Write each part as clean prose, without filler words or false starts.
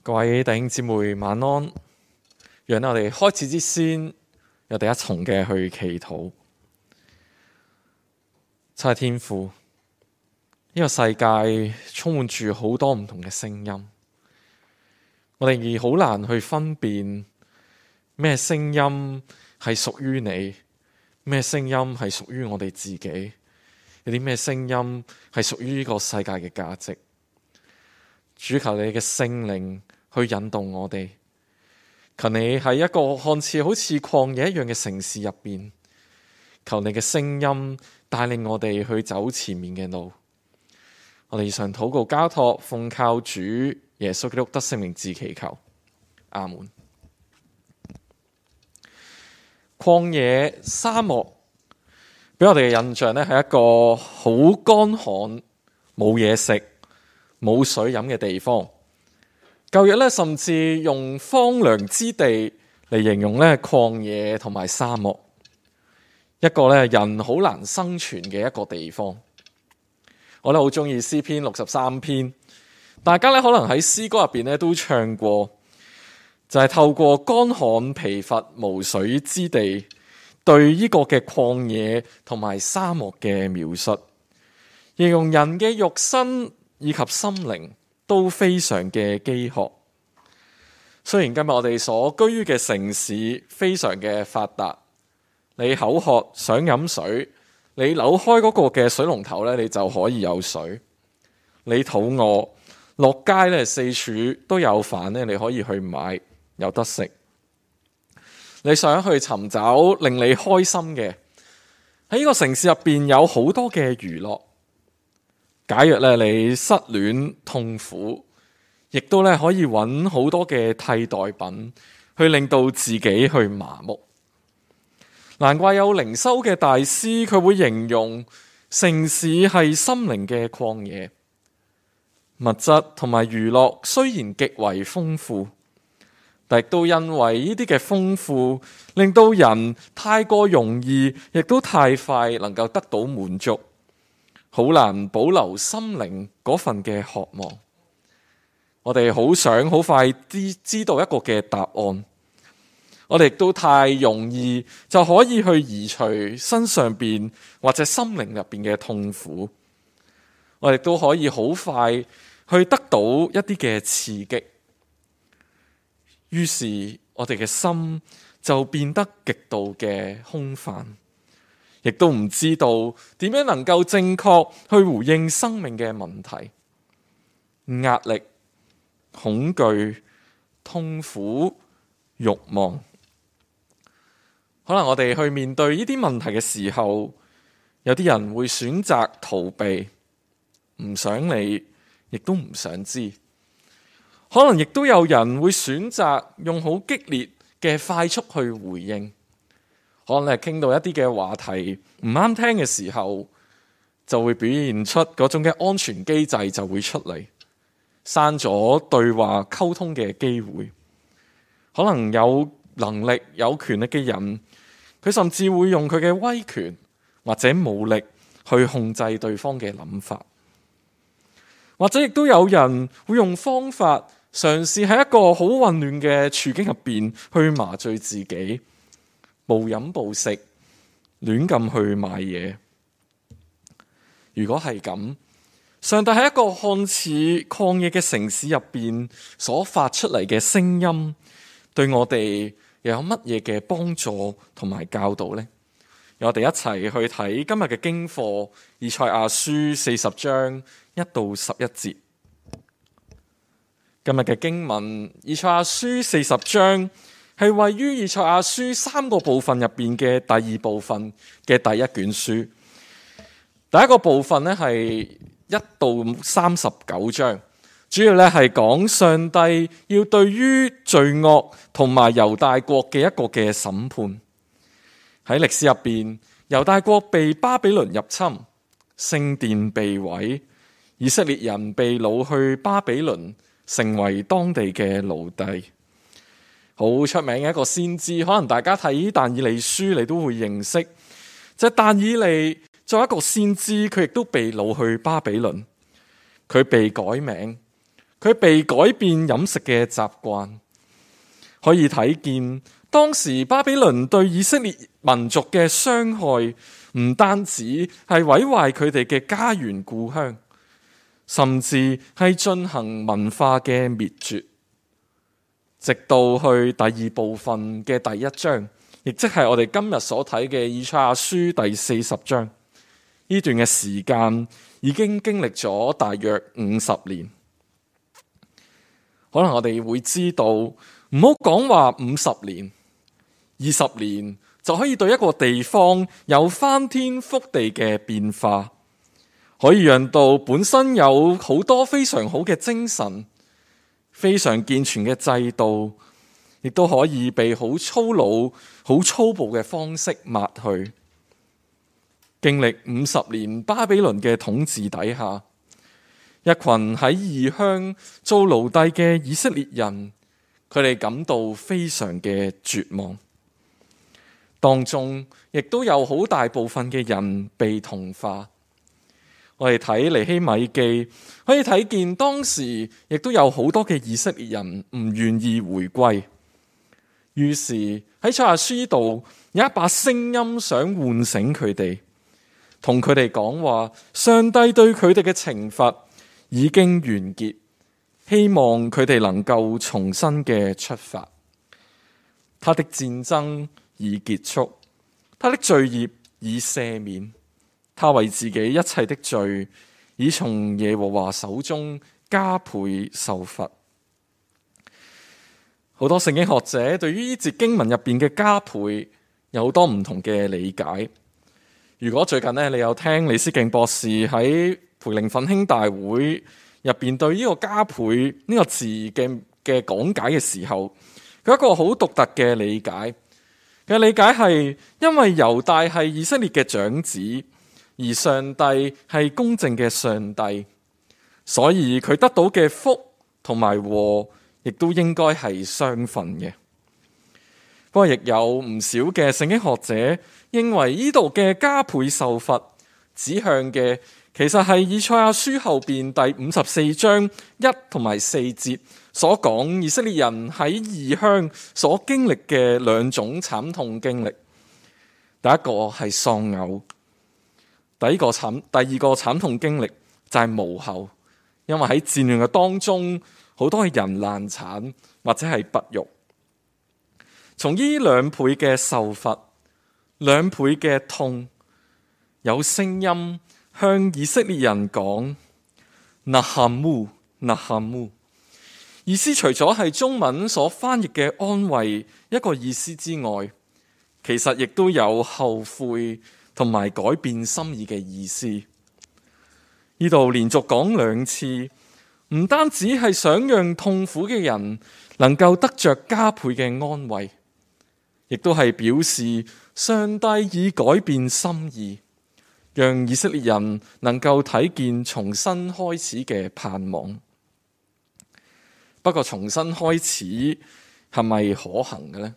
各位弟兄姊妹晚安，讓我哋開始之先，我哋一同嘅去祈禱。親愛的天父，呢個世界充滿住好多唔同嘅聲音，我哋好難去分辨咩聲音係屬於你，咩聲音係屬於我哋自己，有啲咩聲音係屬於呢個世界嘅價值。主，求你嘅聖靈去引導我哋，求你喺一個看似好似曠野一樣嘅城市入邊，求你嘅聲音帶領我哋去走前面嘅路。我哋以上禱告交託，奉靠主耶穌基督得聖名字祈求，阿門。曠野沙漠俾我哋嘅印象呢，係一個好乾旱、冇嘢食、冇水飲嘅地方。舊約咧，甚至用荒涼之地嚟形容咧曠野同埋沙漠，一個咧人好難生存嘅一個地方。我咧好中意詩篇63篇，大家咧可能喺詩歌入邊咧都唱過，就係透過乾旱疲乏無水之地，對呢個嘅曠野同埋沙漠嘅描述，形容人嘅肉身以及心靈都非常嘅飢渴。雖然今日我哋所居於嘅城市非常嘅發達，你口渴想飲水，你扭開嗰個嘅水龍頭咧，你就可以有水。你肚餓，落街咧四處都有飯咧，你可以去買，有得食。你想去尋找令你開心嘅，喺呢個城市入邊有好多嘅娛樂。假若咧你失戀痛苦，亦都咧可以揾好多嘅替代品去令到自己去麻木。難怪有靈修嘅大師佢會形容城市係心靈嘅曠野，物質同埋娛樂雖然極為豐富，但亦都因為呢啲嘅豐富，令到人太過容易，亦都太快能夠得到滿足。好難保留心靈嗰份嘅渴望，我哋好想好快知道一個嘅答案，我哋亦都太容易就可以去移除身上邊或者心靈入邊嘅痛苦，我哋都可以好快去得到一啲嘅刺激，於是我哋嘅心就變得極度嘅空泛。亦都唔知道點樣能夠正確去回應生命嘅問題，壓力、恐懼、痛苦、慾望。可能我哋去面對呢啲問題嘅時候，有啲人會選擇逃避，唔想理，亦都唔想知。可能亦都有人會選擇用好激烈嘅快速去回應。可能係傾到一啲嘅話題唔啱聽嘅時候，就會表現出嗰種嘅安全機制就會出嚟，刪咗對話溝通嘅機會。可能有能力有權力嘅人，佢甚至會用佢嘅威權或者武力去控制對方嘅諗法，或者亦都有人會用方法嘗試喺一個好混亂嘅處境入邊去麻醉自己。暴飲暴食，亂咁去買嘢。如果係咁，上帝喺一個看似曠野嘅城市入邊所發出嚟嘅聲音，對我哋又有乜嘢嘅幫助同埋教導呢？我哋一齊去睇今日嘅經課，以賽亞書40章1到11節。今日嘅經文，以賽亞書40章。係位於以賽亞書3個部分入邊嘅第2部分嘅第一卷書。第一個部分呢係1到39章，主要咧係講上帝要對於罪惡同埋猶大國嘅一個嘅審判。喺歷史入邊，猶大國被巴比倫入侵，聖殿被毀，以色列人被擄去巴比倫，成為當地嘅奴隸。好出名嘅一個先知，可能大家睇但以理書你都會認識，就係但以理作為一個先知，佢亦都被擄去巴比倫，佢被改名，佢被改變飲食嘅習慣，可以睇見當時巴比倫對以色列民族嘅傷害，唔單止係毀壞佢哋嘅家園故鄉，甚至係進行文化嘅滅絕。直到去第二部分嘅第一章，亦即係我哋今日所睇嘅以賽亞書第40章，呢段嘅時間已經經歷咗大約50年。可能我哋會知道，唔好講話50年、20年就可以對一個地方有翻天覆地嘅變化，可以讓到本身有好多非常好嘅精神、非常健全嘅制度，亦都可以被好粗魯、好粗暴嘅方式抹去。經歷50年巴比倫嘅統治底下，一群喺異鄉做奴隸嘅以色列人，佢哋感到非常嘅絕望。當中亦都有好大部分嘅人被同化。我哋睇尼希米記，可以睇見當時亦都有好多嘅以色列人唔願意回歸。於是喺賽亞書度有一把聲音想喚醒佢哋，同佢哋講話，上帝對佢哋嘅懲罰已經完結，希望佢哋能夠重新嘅出發。他的戰爭已結束，他的罪孽已赦免，他為自己一切的罪已從耶和華手中加倍受罰。好多聖經學者對於呢節經文入邊嘅加倍有好多唔同嘅理解。如果最近你有聽李思敬博士喺培靈奮興大會入邊對呢個加倍呢個字嘅講解嘅時候，佢有一個好獨特嘅理解。嘅理解係因為猶大係以色列嘅長子，而上帝係公正嘅上帝，所以佢得到嘅福同埋禍亦都應該係相份嘅。不過亦有唔少嘅聖經學者認為呢度嘅加倍受罰指向嘅其實係以賽亞書後邊第54章1同埋4節所講以色列人喺異鄉所經歷嘅兩種慘痛經歷。第一個係喪偶，第二個慘痛經歷就係無後，因為喺戰亂嘅當中，好多係人難產或者係不育。從呢兩倍嘅受罰，兩倍嘅痛，有聲音向以色列人講納哈姆，納哈姆，意思除咗係中文所翻譯嘅安慰一個意思之外，其實亦都有後悔同埋改變心意嘅意思。呢度連續講兩次，唔單止係想讓痛苦嘅人能夠得着加倍嘅安慰，亦都係表示上帝已改變心意，讓以色列人能夠睇見重新開始嘅盼望。不過重新開始係咪可行嘅呢？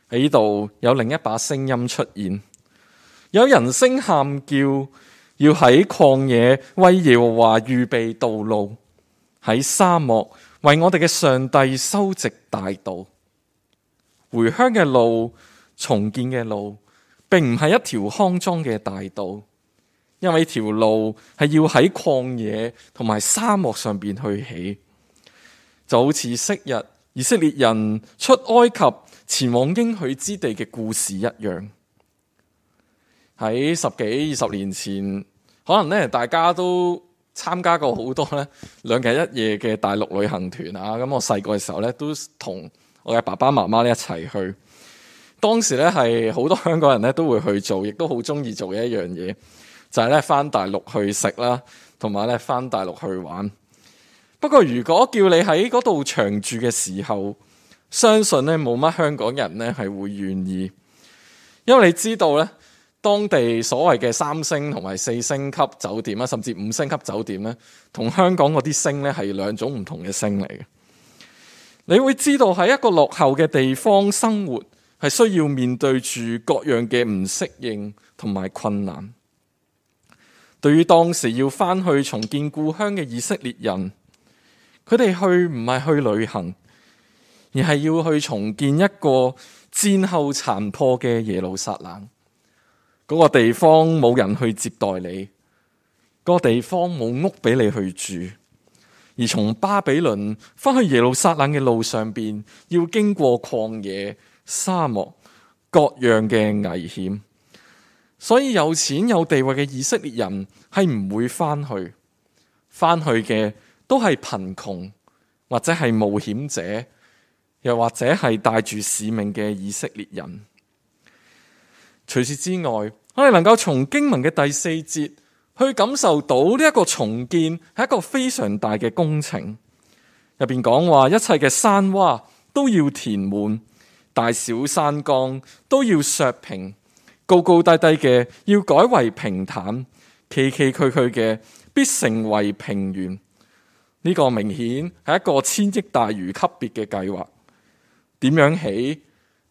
喺呢度有另一把聲音出現，有人聲喊叫，要喺曠野為耶和華預備道路，喺沙漠為我哋嘅上帝修直大道。回鄉嘅路，重建嘅路，並唔係一條康莊嘅大道，因為條路係要喺曠野同埋沙漠上邊去起，就好似昔日以色列人出埃及前往應許之地嘅故事一樣。喺10幾20年前，可能大家都參加過好多2日1夜嘅大陸旅行團啊。咁我細個嘅時候都同我嘅爸爸媽媽一齊去。當時係好多香港人都會去做，亦都好中意做嘅一樣嘢，就係返大陸去食啦，同埋返大陸去玩。不過如果叫你喺嗰度長住嘅時候，相信冇乜香港人係會願意，因為你知道當地所謂嘅3星同埋4星級酒店甚至5星級酒店同香港嗰啲星係兩種唔同嘅星嚟嘅。你會知道喺一個落後嘅地方生活係需要面對住各樣嘅唔適應同埋困難。對於當時要返去重建故鄉嘅以色列人，佢哋去唔係去旅行，而係要去重建一個戰後殘破嘅耶路撒冷。嗰個地方冇人去接待你，嗰個地方冇屋俾你去住。而從巴比倫翻去耶路撒冷嘅路上邊，要經過曠野、沙漠、各樣嘅危險，所以有錢有地位嘅以色列人係唔會翻去嘅都係貧窮或者係冒險者，又或者係帶住使命嘅以色列人。除此之外，我哋能夠從經文嘅第4節去感受到呢一個重建係一個非常大嘅工程。入邊講話，一切嘅山窪都要填滿，大小山崗都要削平，高高低低嘅要改為平坦，崎崎嶇嶇嘅必成為平原。呢個明顯係一個1000億大魚級別嘅計劃。點樣起？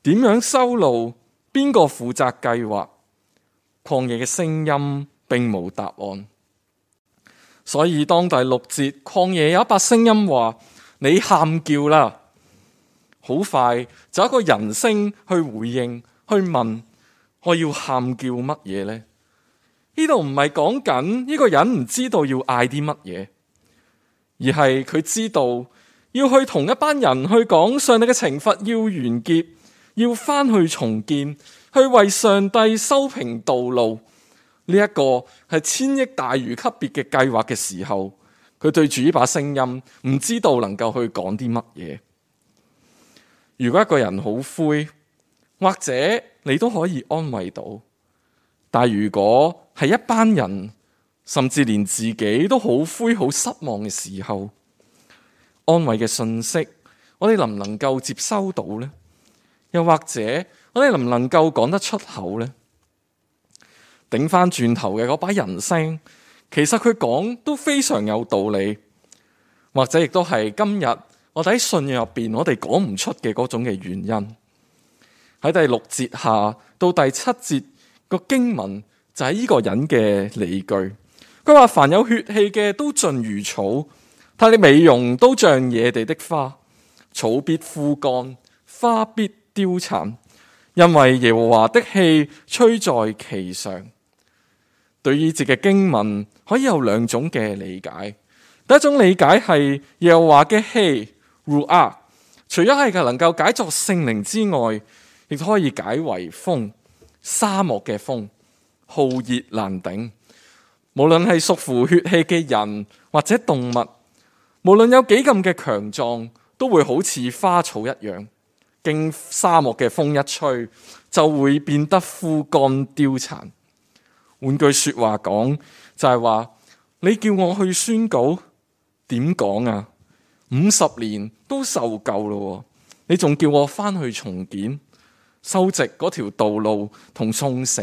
點樣修路？邊個負責計劃？曠野嘅聲音並無答案。所以當第6節曠野有一把聲音話：你喊叫啦！好快就有一個人聲去回應，去問：我要喊叫乜嘢呢？呢度唔係講緊呢個人唔知道要嗌啲乜嘢，而係佢知道要去同一班人去講上帝嘅懲罰要完結，要翻去重建，去為上帝修平道路。呢一個係1000億大魚級別嘅計劃嘅時候，佢對住呢把聲音，唔知道能夠去講啲乜嘢。如果一個人好灰，或者你都可以安慰到，但如果係一班人，甚至連自己都好灰好失望嘅時候，安慰嘅信息，我哋能唔能夠接收到呢？又或者我哋能唔能夠講得出口呢？頂翻轉頭嘅嗰把人聲，其實佢講都非常有道理，或者亦都係今日我哋喺信仰入邊我哋講唔出嘅嗰種嘅原因。喺第6節下到第7節個經文就係呢個人嘅理據。佢話：凡有血氣嘅都盡如草，他的美容都像野地的花，草必枯乾，花必凋殘，因為耶和華的氣吹在其上。對於呢節嘅經文可以有2種嘅理解。第一種理解係耶和華嘅氣 Ruach， 除咗係能夠解作聖靈之外，亦都可以解為風，沙漠嘅風，酷熱難頂。無論係屬乎血氣嘅人或者動物，無論有幾咁嘅強壯，都會好似花草一樣，經沙漠嘅風一吹，就會變得枯乾凋殘。換句說話講，就係話你叫我去宣告，點講啊？50年都受夠咯，你仲叫我翻去重建，修直嗰條道路，同送死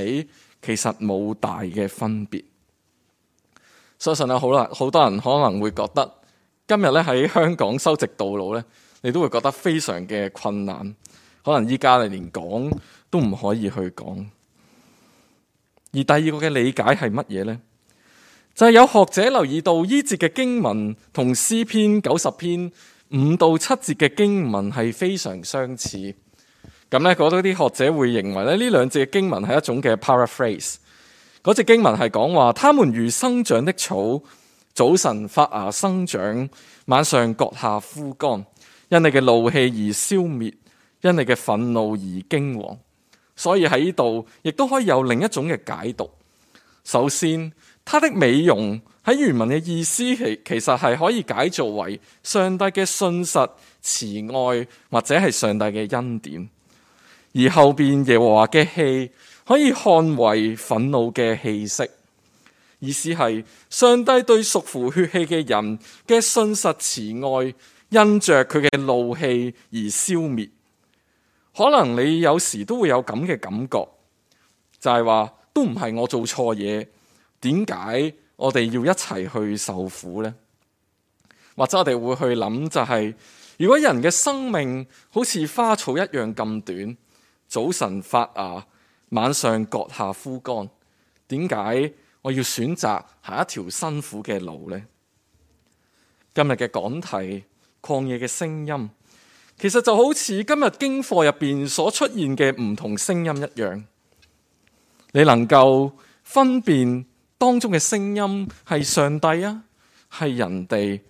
其實冇大嘅分別。相信好多人可能會覺得今日咧喺香港修直道路咧，你都會覺得非常嘅困難，可能依家你連講都唔可以去講。而第二個嘅理解係乜嘢呢？就係有學者留意到呢節嘅經文同詩篇90篇5到7節嘅經文係非常相似。咁咧，嗰啲學者會認為咧，呢2節嘅經文係一種嘅 paraphrase。嗰節經文係講話，他們如生長的草，早晨發芽生長，晚上割下枯乾，因你嘅怒氣而消滅，因你嘅憤怒而驚惶。所以喺呢度亦都可以有另一種嘅解讀。首先，它的美容喺原文嘅意思其實係可以解做為上帝嘅信實、慈愛，或者係上帝嘅恩典。而後邊耶和華嘅氣可以看為憤怒嘅氣息，意思係上帝對屬乎血氣嘅人嘅信實慈愛，因着佢嘅怒氣而消滅。可能你有時都會有咁嘅感覺，就係話都唔係我做錯嘢，點解我哋要一齊去受苦呢？或者我哋會去諗就係，如果人嘅生命好似花草一樣咁短，早晨發芽，晚上割下枯乾，點解我要選擇行一條辛苦嘅路呢？今日嘅講題曠野嘅聲音，其實就好似今日經課入邊所出現嘅唔同聲音一樣。你能夠分辨當中嘅聲音係上帝啊，係人哋，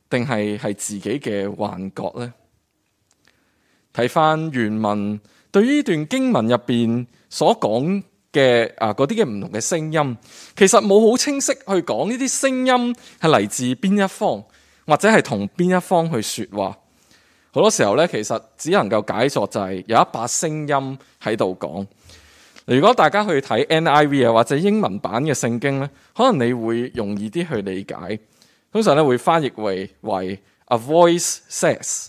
定係自己嘅幻覺呢？睇翻原文，對於呢段經文入邊所講嘅嗰啲嘅唔同嘅聲音，其實冇好清晰去講呢啲聲音係嚟自邊一方，或者係同邊一方去說話。好多時候咧，其實只能夠解作就係有一把聲音喺度講。如果大家去睇 NIV 啊或者英文版嘅聖經咧，可能你會容易啲去理解。通常咧會翻譯為 a voice says，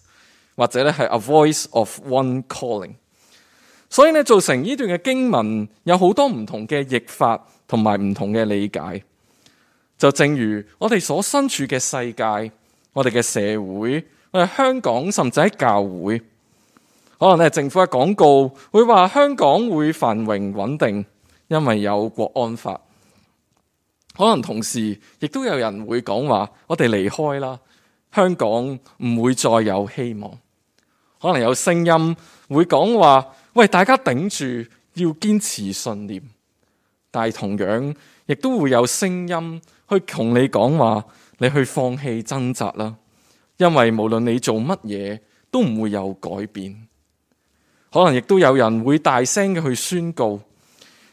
或者咧係 a voice of one calling。所以咧造成呢段嘅經文有好多唔同嘅譯法同埋唔同嘅理解。就正如我哋所身處嘅世界，我哋嘅社會，我哋香港甚至喺教會，可能咧政府嘅廣告會話香港會繁榮穩定，因為有國安法。可能同時亦都有人會講話，我哋離開啦，香港唔會再有希望。可能有聲音會講話，喂，大家頂住，要堅持信念。但係同樣亦都會有聲音去同你講話，你去放棄掙扎啦，因為無論你做乜嘢都唔會有改變。可能亦都有人會大聲嘅去宣告，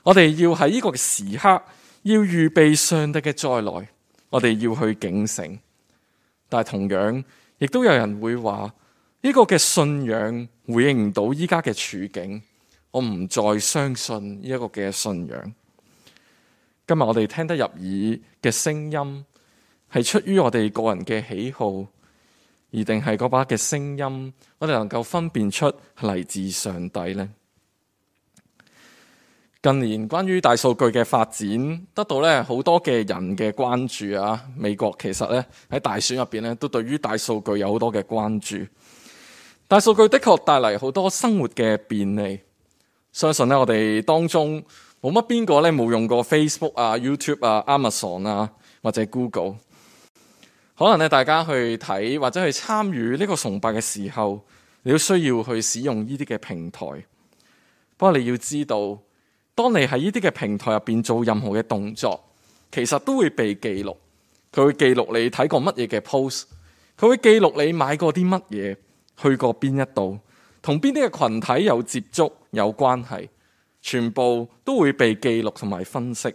我哋要喺呢個時刻要預備上帝嘅再來，我哋要去警醒。但係同樣亦都有人會話，呢個嘅信仰回應唔到依家嘅處境，我唔再相信呢一個嘅信仰。今日我哋聽得入耳嘅聲音，係出於我哋個人嘅喜好，而定係嗰把嘅聲音，我哋能夠分辨出係嚟自上帝呢？近年關於大數據嘅發展，得到咧好多嘅人嘅關注啊！美國其實咧喺大選入邊咧，都對於大數據有好多嘅關注。大數據的確帶嚟好多生活嘅便利，相信咧我哋當中冇乜邊個咧冇用過 Facebook 啊、YouTube 啊、Amazon 啊或者 Google。可能咧大家去睇或者去參與呢個崇拜嘅時候，你都需要去使用呢啲嘅平台。不過你要知道，當你喺呢啲嘅平台入邊做任何嘅動作，其實都會被記錄。佢會記錄你睇過乜嘢嘅 post， 佢會記錄你買過啲乜嘢，去過邊一度，同邊啲嘅群體有接觸有關係，全部都會被記錄同埋分析。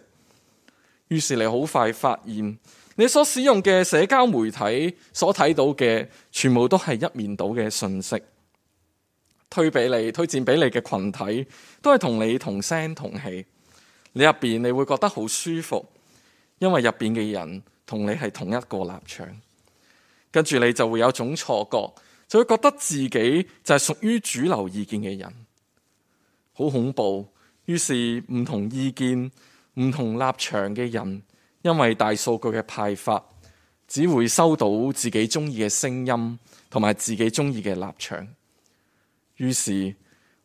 於是你好快發現，你所使用嘅社交媒體所睇到嘅，全部都係一面倒嘅信息。推薦俾你嘅群體，都係同你同聲同氣。你入邊你會覺得好舒服，因為入邊嘅人同你係同一個立場。跟住你就會有種錯覺，就會覺得自己就係屬於主流意見嘅人，好恐怖。於是唔同意見、唔同立場嘅人，因為大數據嘅派發，只會收到自己中意嘅聲音同埋自己中意嘅立場。於是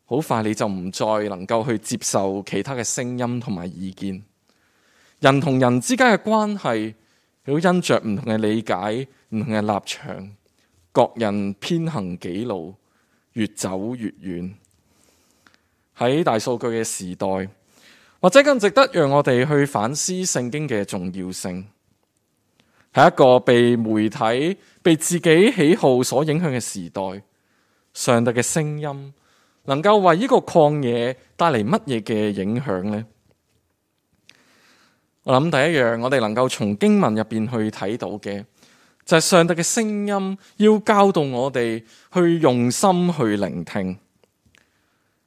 好快你就唔再能夠去接受其他嘅聲音同埋意見。人同人之間嘅關係，亦都因着唔同嘅理解、唔同嘅立場，各人偏行己路，越走越遠。喺大數據嘅時代，或者更值得讓我哋去反思聖經嘅重要性。喺一個被媒體、被自己喜好所影響嘅時代，上帝嘅聲音能夠為呢個曠野帶嚟乜嘢嘅影響呢？我諗第一樣，我哋能夠從經文入邊去睇到嘅，就係上帝嘅聲音要教導我哋去用心去聆聽。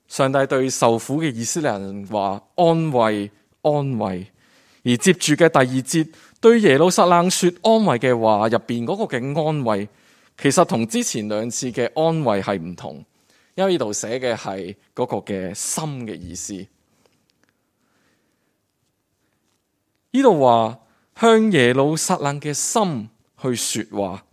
上帝對受苦嘅以色列人話安慰，安慰。而接住嘅第二節對耶路撒冷說安慰嘅話入邊嗰個嘅安慰，其實同之前兩次嘅安慰係唔同，因為呢度寫嘅係嗰個嘅心嘅意思。呢度話向耶路撒冷嘅心去說話，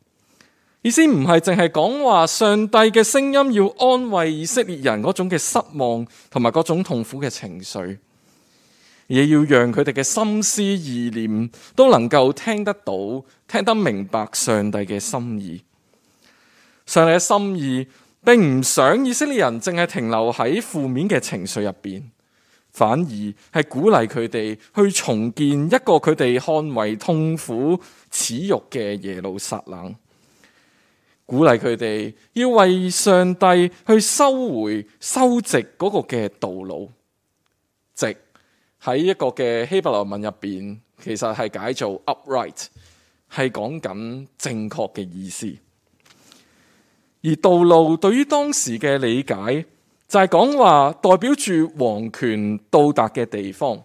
意思唔係淨係講話上帝嘅聲音要安慰以色列人嗰種嘅失望同埋嗰種痛苦嘅情緒，也要讓佢哋嘅心思意念都能夠聽得到、聽得明白上帝嘅心意。上帝嘅心意並唔想以色列人淨係停留喺負面嘅情緒入邊，反而係鼓勵佢哋去重建一個佢哋看為痛苦恥辱嘅耶路撒冷，鼓勵佢哋要為上帝去收直嗰個嘅道路。直喺一個嘅希伯來文入邊，其實係解做 upright， 係講緊正確嘅意思。而道路對於當時嘅理解，就係講話代表住王權到達嘅地方，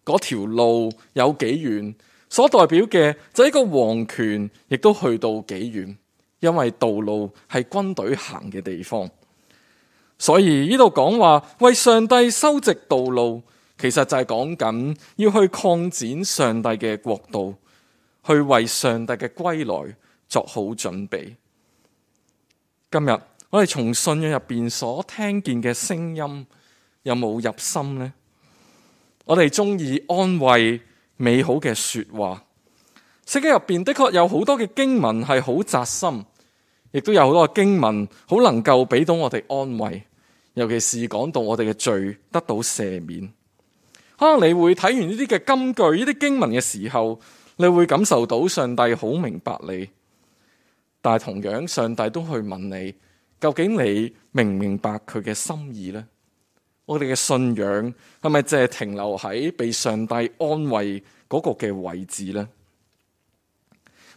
嗰條路有幾遠，所代表嘅就係一個王權亦都去到幾遠，因為道路係軍隊行嘅地方。所以呢度講話為上帝修直道路，其實就係講緊要去擴展上帝嘅國度，去為上帝嘅歸來作好準備。今日我哋從信仰入邊所聽見嘅聲音有冇入心呢？我哋中意安慰美好嘅說話，聖經入邊的確有好多嘅經文係好扎心，亦都有好多嘅經文好能夠俾到我哋安慰，尤其是講到我哋嘅罪得到赦免。可能你會睇完呢啲嘅金句、呢啲經文嘅時候，你會感受到上帝好明白你。但係同樣，上帝都去問你，究竟你明唔明白佢嘅心意呢？我哋嘅信仰係咪淨係停留喺被上帝安慰嗰個嘅位置呢？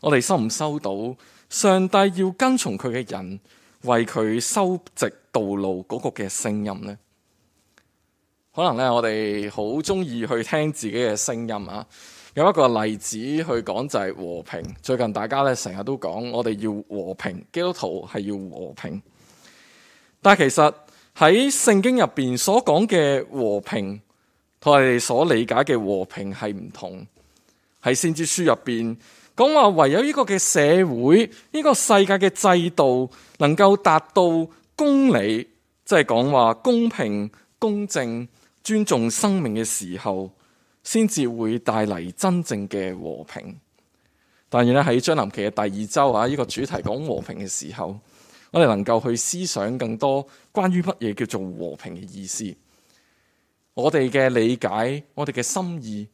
我哋收唔收到上帝要跟從佢嘅人為佢修直道路嗰個嘅聲音呢？可能咧，我哋好中意去聽自己嘅聲音啊。有一個例子去講就係和平。最近大家咧成日都講我哋要和平，基督徒係要和平。但係其實喺聖經入邊所講嘅和平，同我哋所理解嘅和平係唔同。喺先知書入邊講話，唯有呢個嘅社會，呢個世界嘅制度能夠達到公理，即係講話公平、公正、尊重生命嘅時候，先至會帶嚟真正嘅和平。但係咧喺將臨期嘅第二周啊，呢個主題講和平嘅時候，我哋能夠去思想更多關於乜嘢叫做和平嘅意思。我哋嘅理解，我哋嘅心意，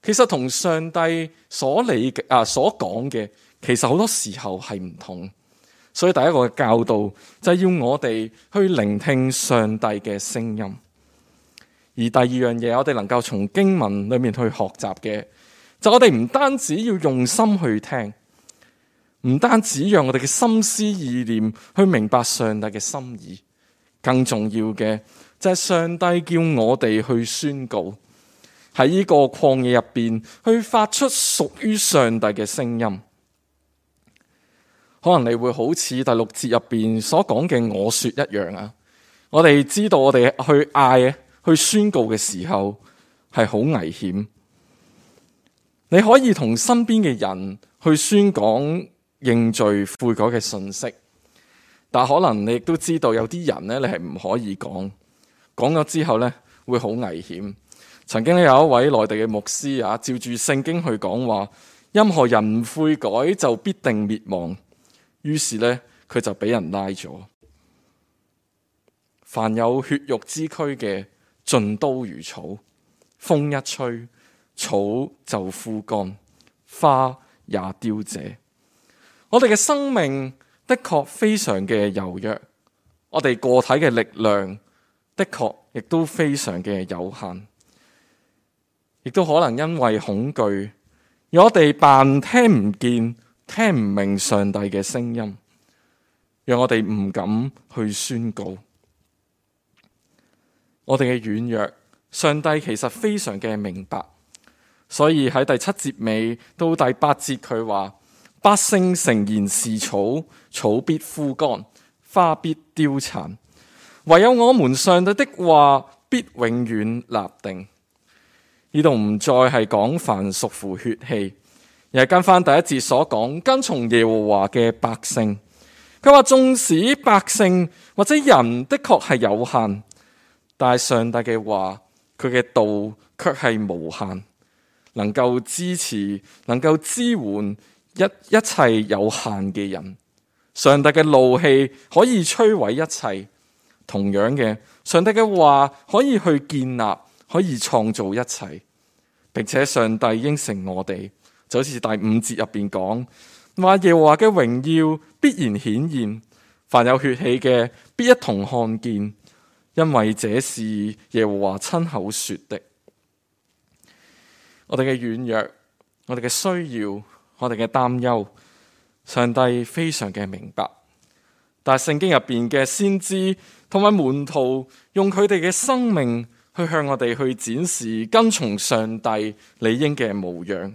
其實同上帝所講嘅，其實好多時候係唔同。所以第一個嘅教導就係要我哋去聆聽上帝嘅聲音。而第二樣嘢，我哋能夠從經文裏面去學習嘅，就我哋唔單止要用心去聽，唔單止讓我哋嘅心思意念去明白上帝嘅心意，更重要嘅就係上帝叫我哋去宣告，喺呢個曠野入邊去發出屬於上帝嘅聲音。可能你會好似第6節入邊所講嘅我說一樣啊，我哋知道我哋去嗌去宣告嘅時候係好危險。你可以同身邊嘅人去宣講認罪悔改嘅信息，但可能你亦都知道有啲人咧，你係唔可以講咗之後咧會好危險。曾經有一位內地嘅牧師啊，照住聖經去講話，任何人唔悔改就必定滅亡。於是咧佢就俾人拉咗。凡有血肉之軀嘅，盡都如草，風一吹，草就枯乾，花也凋謝。我哋嘅生命的確非常嘅柔弱，我哋個體嘅力量的確亦都非常嘅有限，亦都可能因為恐懼，而我哋扮聽唔見、聽唔明上帝嘅聲音，讓我哋唔敢去宣告。我哋嘅軟弱，上帝其實非常嘅明白，所以喺第7節尾到第8節佢話：百姓誠然是草，草必枯乾，花必凋殘，唯有我們上帝的話必永遠立定。呢度唔再係講凡屬乎血氣，而係跟翻第1節所講，跟從耶和華嘅百姓。佢話縱使百姓或者人的確係有限，但係上帝嘅話佢嘅道卻係無限，能夠支持、能夠支援一切有限嘅人。上帝嘅怒氣可以摧毀一切，同樣嘅，上帝嘅話可以去建立，可以創造一切，並且上帝應承我哋，就好似第5節入邊講話，耶和華嘅榮耀必然顯現，凡有血氣嘅必一同看見，因為這是耶和華親口說的。我哋嘅軟弱，我哋嘅需要，我哋嘅擔憂，上帝非常嘅明白。但係聖經入邊嘅先知同埋門徒用佢哋嘅生命去向我哋去展示跟從上帝理應嘅模樣。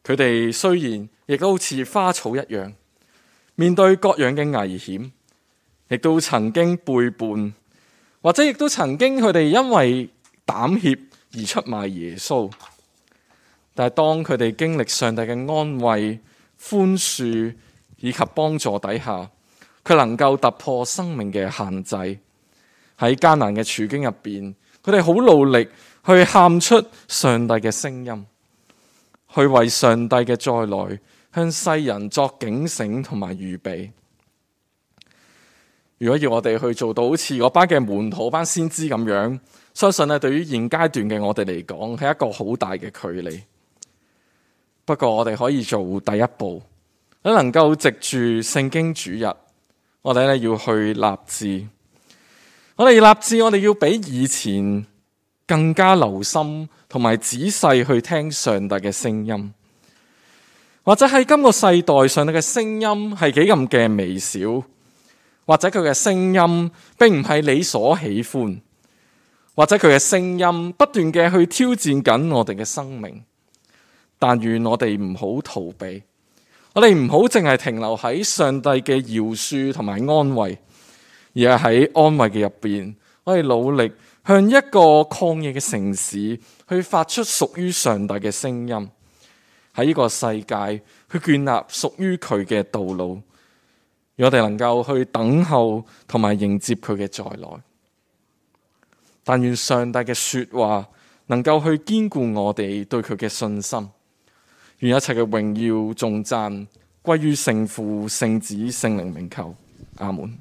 佢哋雖然亦都好似花草一樣，面對各樣嘅危險，亦都曾經背叛，或者亦都曾經佢哋因為膽怯而出賣耶穌。但係當佢哋經歷上帝嘅安慰、寬恕以及幫助底下，佢能夠突破生命嘅限制。喺艱難嘅處境入邊，佢哋好努力去喊出上帝嘅聲音，去為上帝嘅再來向世人作警醒同埋預備。如果要我哋去做到好似嗰班嘅門徒、班先知咁樣，相信對於現階段嘅我哋嚟講係一個好大嘅距離。不過我哋可以做第一步，能夠藉住聖經主日，我哋要去立志。我哋要比以前更加留心同埋仔細去聽上帝嘅聲音。或者喺今個世代，上帝嘅聲音係幾咁嘅微小，或者佢嘅聲音並唔係你所喜歡，或者佢嘅聲音不斷嘅去挑戰緊我哋嘅生命。但願我哋唔好逃避，我哋唔好淨係停留喺上帝嘅饒恕同埋安慰，而係喺安慰嘅入邊，我哋努力向一個曠野嘅城市去發出屬於上帝嘅聲音，喺呢個世界去建立屬於佢嘅道路，讓我哋能夠去等候同埋迎接佢嘅再來。但願上帝嘅說話能夠去堅固我哋對佢嘅信心。願一切嘅榮耀頌讚歸於聖父、聖子、聖靈名求，阿門。